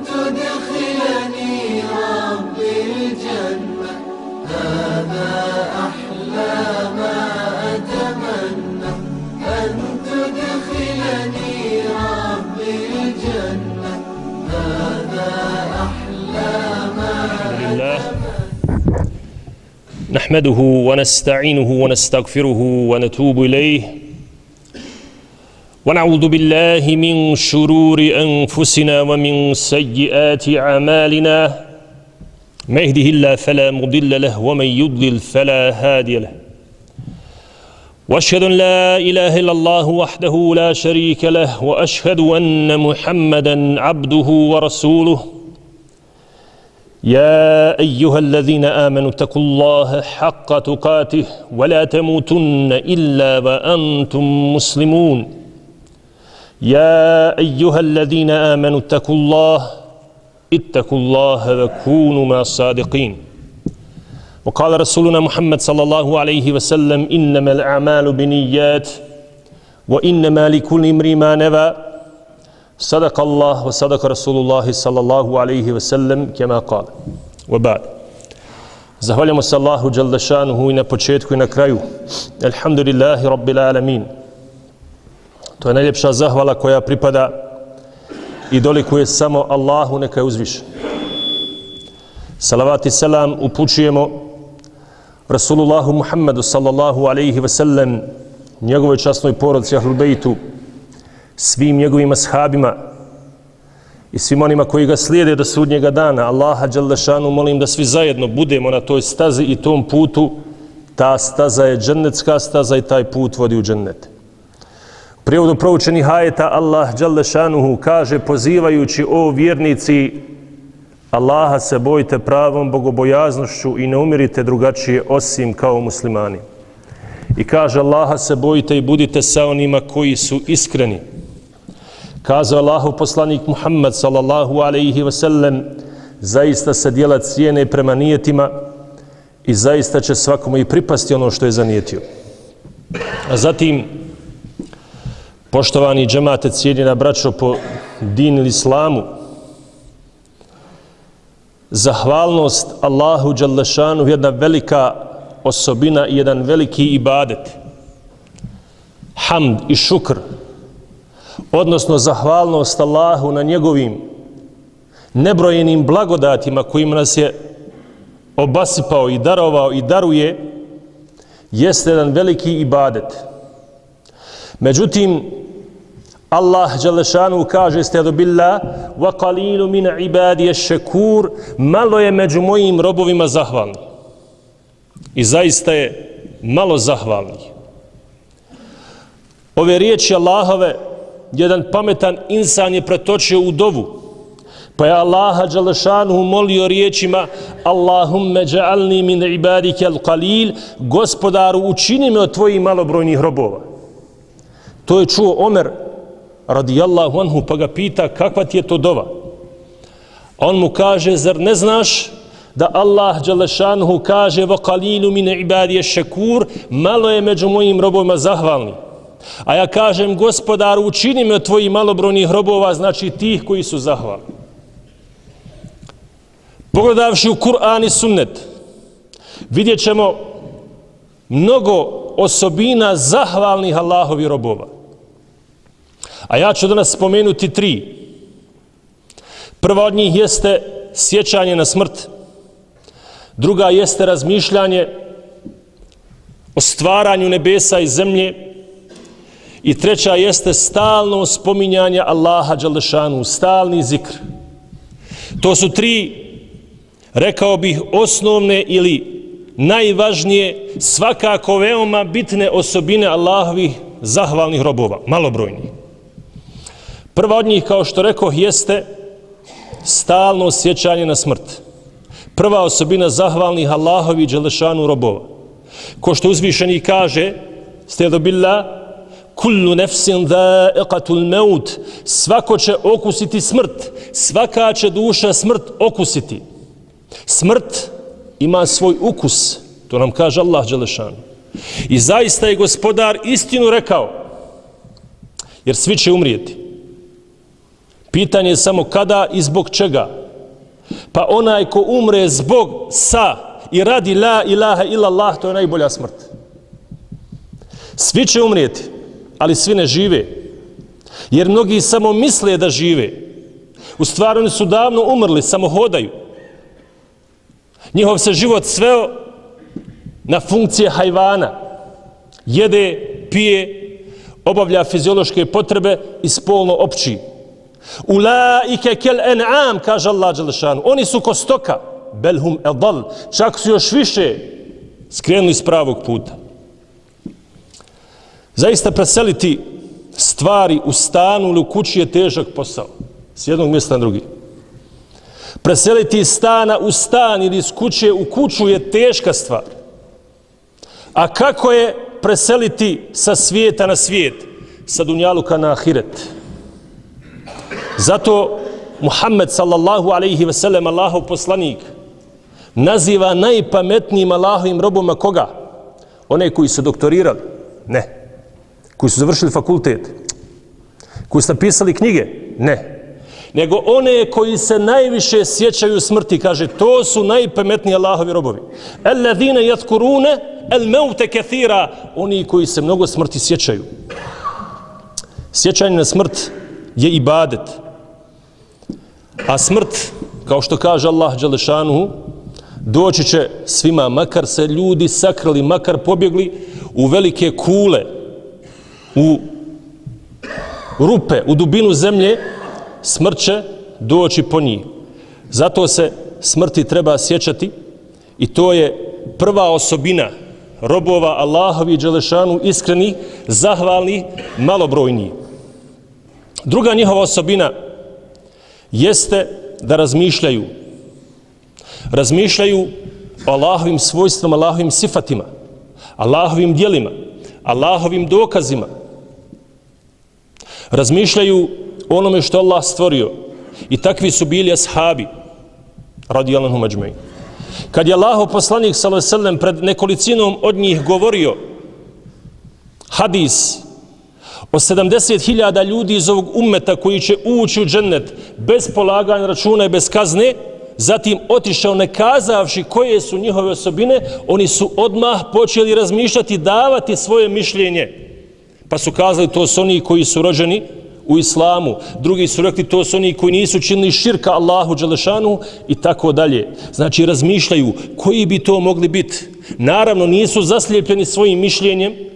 تدخلني ربي الجنة هذا أحلى ما أتمنى أن تدخلني ربي الجنة هذا أحلى ما أتمنى. نحمده ونستعينه ونستغفره ونتوب إليه ونعوذ بالله من شرور أنفسنا ومن سيئات أعمالنا ما يهده الله فلا مضل له ومن يضلل فلا هادي له وأشهد أن لا إله إلا الله وحده لا شريك له وأشهد أن محمدا عبده ورسوله يا أيها الذين آمنوا اتقوا الله حق تقاته ولا تموتن إلا وأنتم مسلمون يا أيها الذين آمنوا اتقوا الله وكونوا مع الصادقين وقال رسولنا محمد صلى الله عليه وسلم إنما الأعمال بنيات وإنما لكل امرئ ما نوى صدق الله وصدق رسول الله صلى الله عليه وسلم كما قال وبعد zahvaljamo se Allahu dželle šanuhu i na početku i na kraju alhamdulillahi rabbil alamin. To je najljepša zahvala koja pripada i dolikuje samo Allahu, neka je uzvišen. Salavat i selam upućujemo Rasulullahu Muhammedu sallallahu alaihi ve sellem, njegovoj časnoj porodici Ahlul Bejtu, svim njegovim ashabima i svim onima koji ga slijede do sudnjega dana. Allaha dželle šanu molim da svi zajedno budemo na toj stazi i tom putu. Ta staza je džennetska staza i taj put vodi u džennet. U prijevodu proučenih ajeta Allah dželle šanuhu kaže pozivajući o vjernici Allaha se bojte pravom bogobojaznošću i ne umirite drugačije osim kao muslimani. I kaže Allaha se bojte i budite sa onima koji su iskreni. Kazao Allahov poslanik Muhammed sallallahu alaihi wa sallam, zaista se djela cijene prema nijetima i zaista će svakome i pripasti ono što je zanijetio. A zatim, poštovani džemate, cijenjena braćo po din ili islamu, zahvalnost Allahu dželle šanu jedna velika osobina i jedan veliki ibadet. Hamd i šukr, odnosno zahvalnost Allahu na njegovim nebrojenim blagodatima kojima nas je obasipao i darovao i daruje, jeste jedan veliki ibadet. Međutim, Allah dželle šanuhu kaže sta'udhu billah wa qalilu min ibadiy ash-shakur, malo je među mojim robovima zahvalni. I zaista je malo zahvalnih. Ove riječi Allahove jedan pametan insan je pretočio u dovu, pa je Allaha dželle šanuhu molio riječima Allahumme ja'alni min ibadika al-qalil, gospodaru učini me od tvojih malobrojnih robova. To je čuo Omer radijallahu anhu, pa ga pita kakva ti je to dova. On mu kaže, zar ne znaš da Allah dželle šanuhu kaže wa qalilu min ibadiy ash-shakur, malo je među mojim robovima zahvalni. A ja kažem, gospodaru učini me od tvojih malobrojnih robova, znači tih koji su zahvalni. Pogledavši u Kur'an i sunnet, vidjet ćemo mnogo osobina zahvalnih Allahovi robova. A ja ću danas spomenuti 3. Prva od njih jeste sjećanje na smrt. Druga jeste razmišljanje o stvaranju nebesa i zemlje. I treća jeste stalno spominjanje Allaha dželle šanuhu, stalni zikr. To su 3, rekao bih, osnovne ili najvažnije, svakako veoma bitne osobine Allahovih zahvalnih robova, malobrojnih. Prva od njih, kao što rekoh, jeste stalno sjećanje na smrt. Prva osobina zahvalnih Allahovih dželle šanuhu robova. Ko što uzvišeni kaže, sta'udhu billah, kullu nefsin dha'iqatul maut, svako će okusiti smrt, svaka će duša smrt okusiti. Smrt ima svoj ukus, to nam kaže Allah dželle šanuhu. I zaista je gospodar istinu rekao, jer svi će umrijeti. Pitanje je samo kada i zbog čega. Pa onaj ko umre zbog sa i radi la ilaha illallah, to je najbolja smrt. Svi će umrijeti, ali svi ne žive. Jer mnogi samo misle da žive. U stvari oni su davno umrli, samo hodaju. Njihov se život sveo na funkcije hajvana. Jede, pije, obavlja fiziološke potrebe i spolno opći. Ulaike kel en'am, kaže Allah dželešanu. Oni su ko stoka. Belhum edal. Čak su još više skrenuli s pravog puta. Zaista preseliti stvari u stanu ili u kući je težak posao. S jednog mjesta na drugi. Preseliti iz stana u stan ili iz kuće u kuću je teška stvar. A kako je preseliti sa svijeta na svijet? Sa dunjaluka na ahiret. Zato Muhammed sallallahu alaihi ve sellem, Allahov poslanik, naziva najpametnijim Allahovim roboma koga? One koji su doktorirali? Ne. Koji su završili fakultet? Koji su napisali knjige? Ne. Nego one koji se najviše sjećaju smrti, kaže, to su najpametniji Allahovi robovi. Alladhina yadhkuruna al-mauta kathira, oni koji se mnogo smrti sjećaju. Sjećanje na smrt je ibadet. A smrt, kao što kaže Allah dželešanuhu, doći će svima, makar se ljudi sakrali, makar pobjegli u velike kule, u rupe, u dubinu zemlje, smrt će doći po njih. Zato se smrti treba sjećati i to je prva osobina robova Allahovi dželešanu, iskreni, zahvalni, malobrojni. Druga njihova osobina jeste da razmišljaju. Razmišljaju o Allahovim svojstvima, Allahovim sifatima, Allahovim djelima, Allahovim dokazima. Razmišljaju o onome što Allah stvorio. I takvi su bili ashabi, radijallahu anhum ajma'in. Kad je Allahov poslanik sallallahu alejhi ve sellem pred nekolicinom od njih govorio hadis o 70.000 ljudi iz ovog ummeta koji će ući u džennet bez polaganja računa i bez kazne, zatim otišao ne kazavši koje su njihove osobine, oni su odmah počeli razmišljati, davati svoje mišljenje. Pa su kazali, to su oni koji su rođeni u islamu, drugi su rekli, to su oni koji nisu činili širka Allahu dželešanu i tako dalje. Znači razmišljaju koji bi to mogli biti. Naravno nisu zaslijepljeni svojim mišljenjem,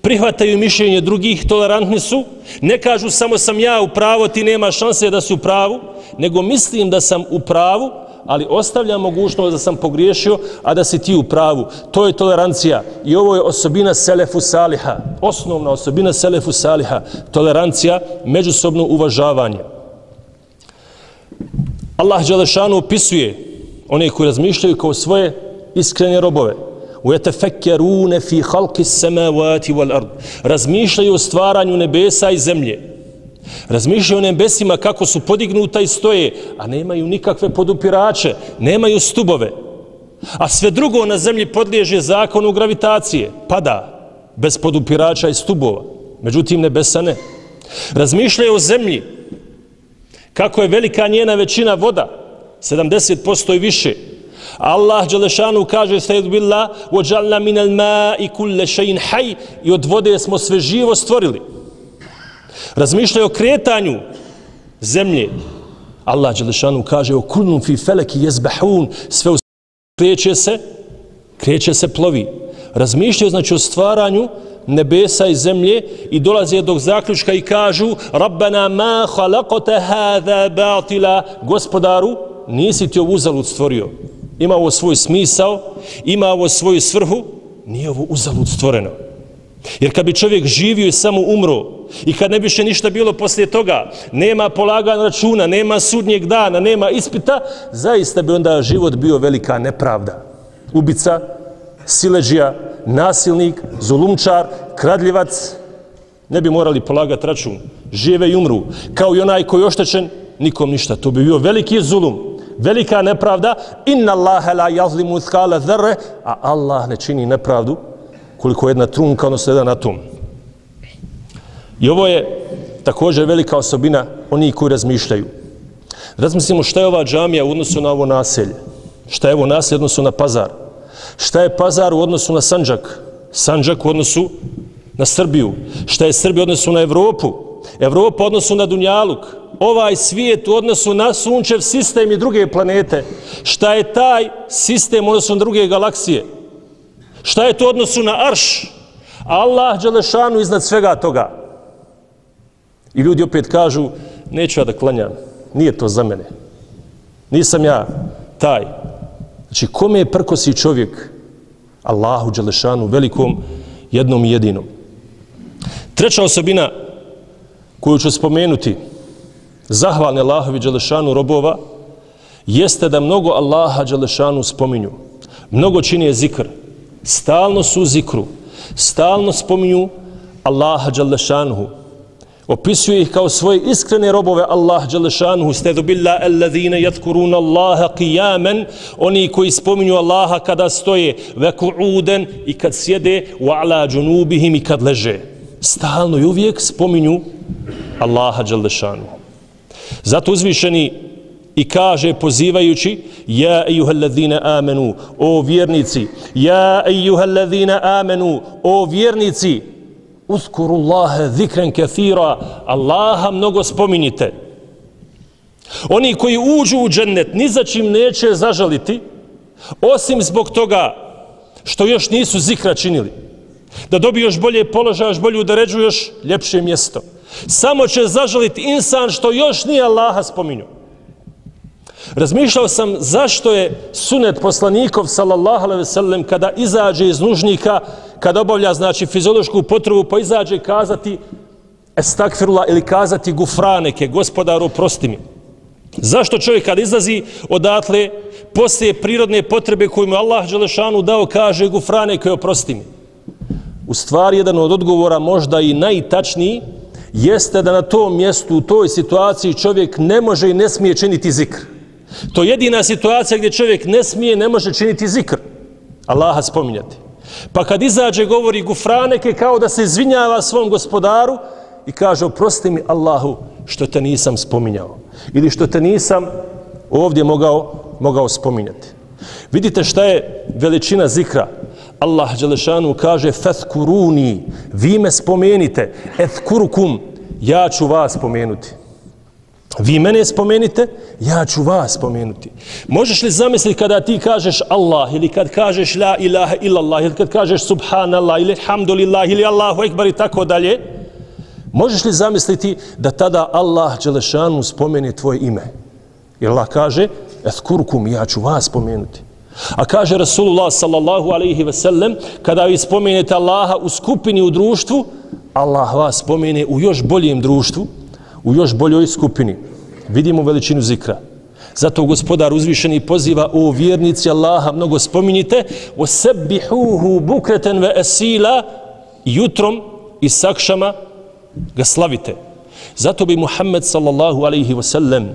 prihvataju mišljenje drugih, tolerantni su, ne kažu samo sam ja u pravu, ti nema šanse da si u pravu, nego mislim da sam u pravu, ali ostavljam mogućnost da sam pogriješio, a da si ti u pravu. To je tolerancija i ovo je osobina selefu saliha, osnovna osobina selefu saliha, tolerancija, međusobno uvažavanje. Allah dželešanu opisuje one koji razmišljaju kao svoje iskrene robove. وَيَتَفَكَّرُونَ فِي خَلْقِ السَّمَاوَاتِ وَالْأَرْضِ. Razmišljaju o stvaranju nebesa i zemlje. Razmišljaju o nebesima kako su podignuta i stoje, a nemaju nikakve podupirače, nemaju stubove. A sve drugo na zemlji podliježe zakonu gravitacije, pada bez podupirača i stubova. Međutim, nebesa ne. Razmišljaju o zemlji kako je velika njena većina voda, 70% i više. Allah dželešanu kaže stajdu billah وَجَعْلَ مِنَ الْمَاءِ كُلَّ شَيْءٍ حَيٍّ, i od vode smo sve živo stvorili. Razmišljaju o kretanju zemlje. Allah dželešanu kaže o kullun fi feleki yezbahun, sve kreće se, plovi. Razmišljaju znači o stvaranju nebesa i zemlje i dolaze do zaključka i kažu Rabbana ma khalaqta hadha batila, gospodaru nisi ti ovo uzalud stvorio. Ima ovo svoj smisao, ima ovo svoju svrhu, nije ovo uzalud stvoreno. Jer kad bi čovjek živio i samo umro i kad ne bi še ništa bilo poslije toga, nema polaganja računa, nema sudnjeg dana, nema ispita, zaista bi onda život bio velika nepravda. Ubica, siledžija, nasilnik, zulumčar, kradljivac, ne bi morali polagati račun. Žive i umru. Kao i onaj koji je oštećen, nikom ništa. To bi bio veliki zulum, velika nepravda. Inna Allahe la yazlimu mithqala dharre, a Allah ne čini nepravdu koliko jedna trunka, odnosno jedan atom. I ovo je također velika osobina oni koji razmišljaju. Razmislimo šta je ova džamija u odnosu na ovo naselje. Šta je ovo naselje u odnosu na Pazar. Šta je Pazar u odnosu na Sandžak. Sandžak u odnosu na Srbiju. Šta je Srbija u odnosu na Evropu. Evropa u odnosu na Dunjaluk. Ovaj svijet u odnosu na Sunčev sistem i druge planete. Šta je taj sistem u odnosu na druge galaksije. Šta je to u odnosu na Arš. Allah dželešanu iznad svega toga. I ljudi opet kažu, neću ja da klanjam. Nije to za mene. Nisam ja taj. Znači, kome je prkosi čovjek? Allahu dželešanu, velikom, jednom i jedinom. Treća osobina koju ću spomenuti, zahvalni Allahovi dželešanu robova, jeste da mnogo Allaha dželešanu spominju. Mnogo čini zikr. Stalno su u zikru. Stalno spominju Allaha dželešanuhu. Opisuje ih kao svoje iskrene robove Allah dželešanuhu. Stedu billah alladhine yadhkuruna Allaha qiyaman, oni koji spominju Allaha kada stoje, ve qu'uden i kad sjede, wa ala junubihim i kad leže. Stalno i uvijek spominju Allaha dželešanuhu. Zato uzvišeni i kaže pozivajući ja ejuhalladhina amanu, o vjernici, ja ejuhalladhina amanu, o vjernici, uzkurullaha zikran kathira, Allaha mnogo spominjite. Oni koji uđu u džennet ni za čim neće zažaliti, osim zbog toga što još nisu zikra činili. Da dobiju još bolje položaje, još bolje udaređu, još ljepše mjesto. Samo će zažaliti insan što još nije Allaha spominju. Razmišljao sam zašto je sunet poslanikov sallallahu alejhi ve sellem kada izađe iz nužnika, kada obavlja znači fiziološku potrebu, pa izađe kazati estakfirullah ili kazati gufraneke, gospodaru oprosti mi. Zašto čovjek kad izlazi odatle poslije prirodne potrebe koju mu Allah dželešanu dao kaže gufraneke oprosti mi? U stvari jedan od odgovora možda i najtačniji jeste da na tom mjestu, u toj situaciji čovjek ne može i ne smije činiti zikr. To je jedina situacija gdje čovjek ne smije, ne može činiti zikr. Allaha spominjati. Pa kad izađe govori gufraneke kao da se izvinjava svom gospodaru i kaže oprosti mi Allahu što te nisam spominjao. Ili što te nisam ovdje mogao spominjati. Vidite šta je veličina zikra. Allah dželešanu kaže fathkuruni, vi me spomenite, ethkurukum, ja ću vas spomenuti. Vi mene spomenite, ja ću vas spomenuti. Možeš li zamisliti kada ti kažeš Allah ili kad kažeš la ilaha illallah ili kad kažeš subhanallah ili alhamdulillah ili Allahu ekbar i tako dalje, možeš li zamisliti da tada Allah dželešanu spomeni tvoje ime? Jer Allah kaže ethkurukum, ja ću vas spomenuti. A kaže Rasulullah sallallahu alaihi ve sellem, kada vi spomenete Allaha u skupini u društvu, Allah vas spomene u još boljem društvu, u još boljoj skupini. Vidimo veličinu zikra. Zato gospodar uzvišeni poziva o vjernici Allaha mnogo spominjite وَسَبِّحُوهُ بُكْرَةً وَأَسِيلًا jutrom i sakšama ga slavite. Zato bi Muhammed sallallahu alaihi wa sallam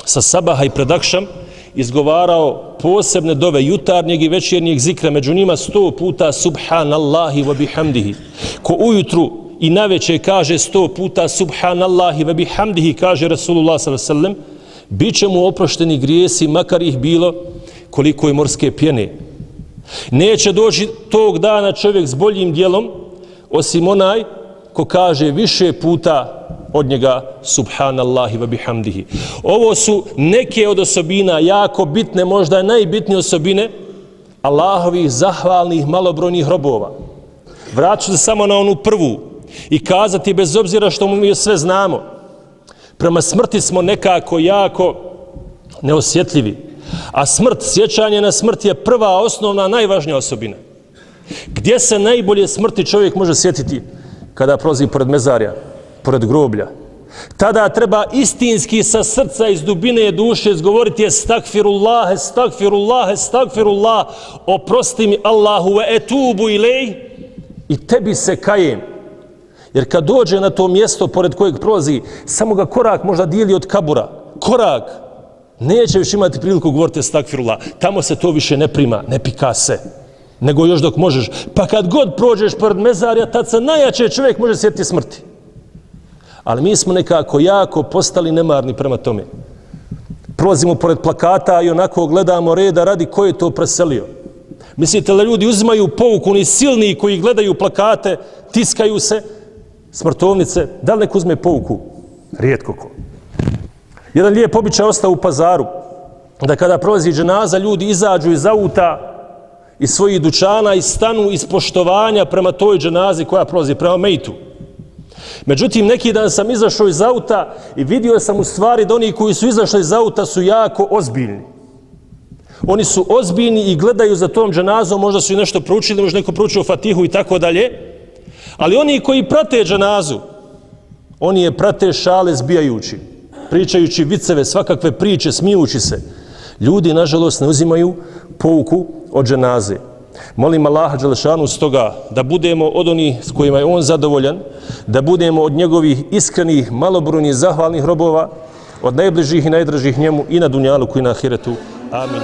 sa sabaha i predakšam izgovarao posebne dove jutarnjeg i večernjeg zikra, među njima 100 puta subhanallahi wa bihamdihi. Ko ujutru i naveče kaže 100 puta subhanallahi wa bihamdihi, kaže Rasulullah sallallahu alejhi ve sellem, bit će mu oprošteni grijesi, makar ih bilo koliko je morske pjene. Neće doći tog dana čovjek s boljim djelom, osim onaj ko kaže više puta od njega subhanallahi wa bihamdihi. Ovo su neke od osobina jako bitne, možda najbitnije osobine Allahovih zahvalnih malobrojnih robova. Vraću se samo na onu prvu i kazati bez obzira što mi sve znamo. Prema smrti smo nekako jako neosjetljivi. A smrt, sjećanje na smrt je prva, osnovna, najvažnija osobina. Gdje se najbolje smrti čovjek može sjetiti? Kada prolazi pored mezarja, pored groblja. Tada treba istinski sa srca iz dubine duše izgovoriti estakfirullah, estakfirullah, estakfirullah, oprosti mi Allahu ve etubu ilej i tebi se kajem. Jer kad dođe na to mjesto pored kojeg prolazi, samo ga korak možda dijeli od kabura. Korak. Neće više imati priliku govoriti estakfirullah. Tamo se to više ne prima, ne pika se. Nego još dok možeš. Pa kad god prođeš pored mezarja, tad se najjače čovjek može sjetiti smrti. Ali mi smo nekako jako postali nemarni prema tome. Prolazimo pored plakata i onako gledamo reda radi ko je to preselio. Mislite da ljudi uzimaju pouku, oni silni koji gledaju plakate, tiskaju se, smrtovnice, da li neko uzme pouku? Rijetko ko. Jedan lijep običaj ostao u Pazaru, da kada prolazi dženaza, ljudi izađu iz auta, iz svojih dućana i stanu iz poštovanja prema toj dženazi koja prolazi, prema mejtu. Međutim, neki dan sam izašao iz auta i vidio sam u stvari da oni koji su izašli iz auta su jako ozbiljni. Oni su ozbiljni i gledaju za tom dženazom, možda su i nešto proučili, možda neko proučio Fatihu i tako dalje. Ali oni koji prate dženazu, oni je prate šale zbijajući, pričajući viceve, svakakve priče, smijući se. Ljudi, nažalost, ne uzimaju pouku od dženaze. Molim Allaha dželešanu stoga da budemo od onih s kojima je on zadovoljan, da budemo od njegovih iskrenih, malobrojnih, zahvalnih robova, od najbližih i najdražih njemu i na dunjaluku i na ahiretu. Amin.